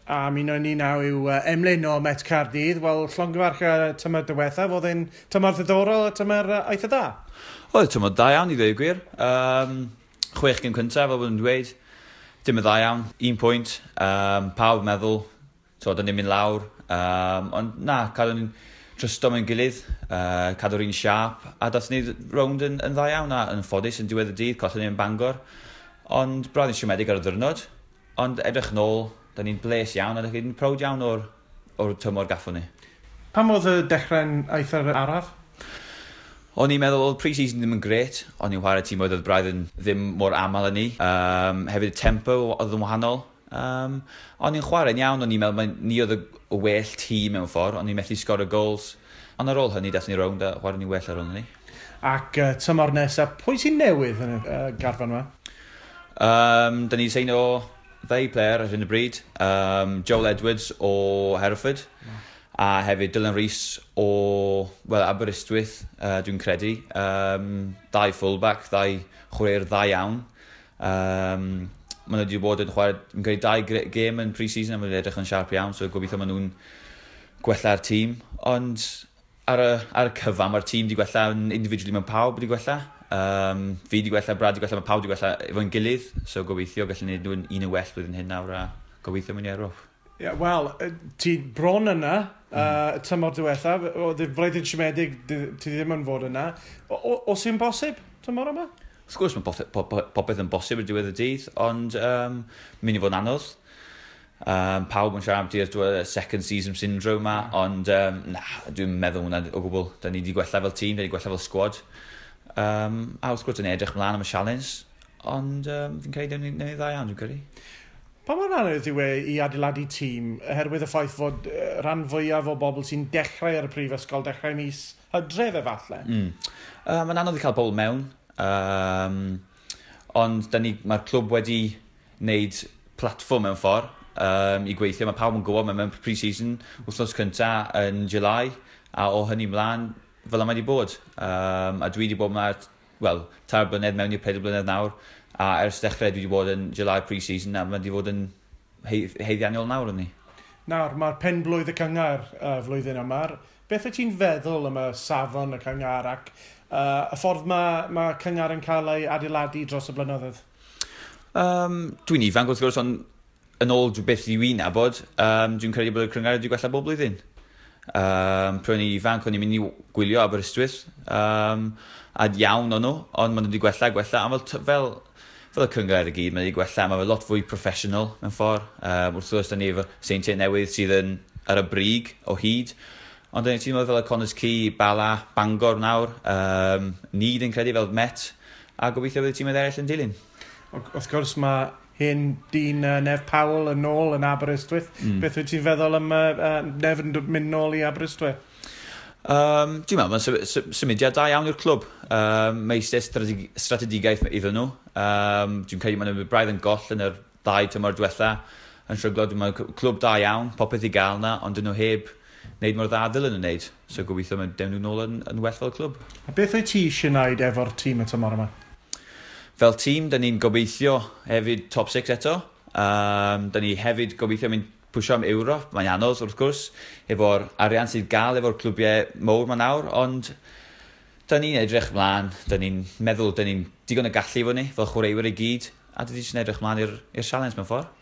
A mi ni nawr yw Emlyn o Met Caerdydd. Wel, llongyfarch tymor diwethaf, oedd e'n tymor ddiddorol a tymor eitha da? Oedd tymor da iawn i ddweud gwir. 6 gêm cyntaf, fel bod yn dweud. Dim yn dda iawn, 1 pwynt. Pawb meddwl, so, da ni'n mynd lawr. Ond na, cadw ni'n trysto mewn gilydd, cadw'r un siâp, a dath ni rownd yn dda iawn, a yn ffodus yn diwedd y dydd, collon ni yn Bangor. Ond braidd yn siomedig ar y ddiwrnod, ond edrych nôl, da ni'n bles iawn, a da ni'n proud iawn o'r tymor gaffon ni. Pam oedd y dechrau'n eitha araf? O'n i'n meddwl oedd pre-season ddim yn gret, o'n i'n chwarae tîm oedd braidd yn ddim mor aml yn ni. Hefyd y tempo oedd yn wahanol. O'n i'n chwarae'n iawn, o'n i'n meddwl mai ni oedd y well tîm mewn ffordd, o'n i'n methu sgorio goals. Ond ar ôl hynny, dathon ni rownd a chwarae ni'n well ar ôl hynny. Ac tymor nesaf, pwy sy'n newydd yn y garfan yma? Da ni'n seino ddau player ar hyn o bryd. Joel Edwards o Hereford. A hefyd Dylan Rees o, well, Aberystwyth, dwi'n credu. Dau fullback, dau chwaraewr dda iawn. Maen nhw wedi bod yn chwarae, yn credu, dau gêm yn pre-season a maen nhw'n edrych yn siarp iawn, so gobeithio maen nhw'n gwella'r tîm. Ond ar y cyfan, mae'r tîm wedi gwella yn individually, mae pawb wedi gwella. Fi wedi gwella, Brad wedi gwella, mae pawb wedi gwella efo'n gilydd, so gobeithio gallwn ni nhw'n un yn well blwyddyn hyn nawr a gobeithio mynd i Ewrop. Yeah, wel, ti bron yna, tymor diwethaf, oedd y flwyddyn siomedig, ti ddim yn fod yna. Os yw'n bosib tymor yma? Wrth gwrs mae popeth yn bosib ar diwedd y dydd, ond mynd i fod yn anodd. Pawb yn siarad am y second season syndrome ma, ond na, dwi'n meddwl hwnna o gwbl. Da ni wedi gwella fel tîm, da ni wedi gwella fel squad. A wrth gwrs, yn edrych mlaen am y challenge, ond fi'n credu newn ni dda iawn, dwi'n credu. Pa mor anodd yw e i adeiladu tîm, oherwydd y ffaith fod rhan fwyaf o bobl sy'n dechrau ar y prifysgol, dechrau mis Hydref efallai? Mae'n anodd i cael bobl mewn, ond mae'r clwb wedi wneud platfform mewn ffordd i gweithio. Mae pawb yn gwybod, mae mewn pre-season wythnos cyntaf yn July, a o hynny mlaen, fel yma wedi bod. A dwi wedi bod yma, wel, 3 blynedd mewn i'r 4 blynedd nawr, a ers dechrau dwi wedi bod yn July pre-season, a mae wedi bod yn haeddiannol nawr yn ni. Nawr, mae'r penblwydd y cynghrair flwyddyn yma. Beth wyt ti'n feddwl am y safon y cynghrair ac y ffordd mae cynghrair yn cael ei adeiladu dros y blynyddoedd? Dwi'n ifanc wrth gwrs, ond yn ôl beth dwi'n nabod, dwi'n credu bod y cynghrair wedi gwella bob blwyddyn. Pryd o'n i'n ifanc, o'n i'n mynd i gwylio Aberystwyth, a iawn o'n nhw, ond maen nhw wedi gwella, gwella, a fel y cynghrair i gyd, maen nhw wedi gwella, mae fe lot fwy professional mewn ffordd. Wrth gwrs, da ni efo Seintiau Newydd sydd yn ar y brig o hyd, ond da ni'n teimlo fel y Connah's Quay, Bala, Bangor nawr, ni dwi'n credu fel Met, a gobeithio bydd y tîmoedd eraill yn dilyn. Wrth gwrs, mae hen dyn Nev Powell yn ôl yn Aberystwyth. Beth wyt ti'n feddwl am Nev yn mynd nôl i Aberystwyth? Dwi'n meddwl, mae'n symudiad da iawn i'r clwb. Mae eisiau strategiaeth iddyn nhw. Dwi'n credu maen nhw'n braidd yn goll yn yr 2 tymor diwetha. Yn stryglo, dwi'n meddwl clwb da iawn, popeth i gael na, ond dyn nhw heb wneud mor dda dylen nhw'n wneud. So gobeithio mae dewn nhw nôl yn well fel clwb. A beth wyt ti eisiau wneud efo'r tîm y tymor yma? Fel tîm, da ni'n gobeithio hefyd top 6 eto. Da ni hefyd gobeithio mynd pwysio am Ewrop. Mae'n anodd wrth gwrs, efo'r arian sydd gael efo'r clwbiau mowr ma nawr, ond da ni'n edrych mlaen, da ni'n meddwl, da ni'n digon o gallu efo ni, fel chwaraewyr i gyd, a da ni jyst yn edrych mlaen i'r challenge mewn ffordd.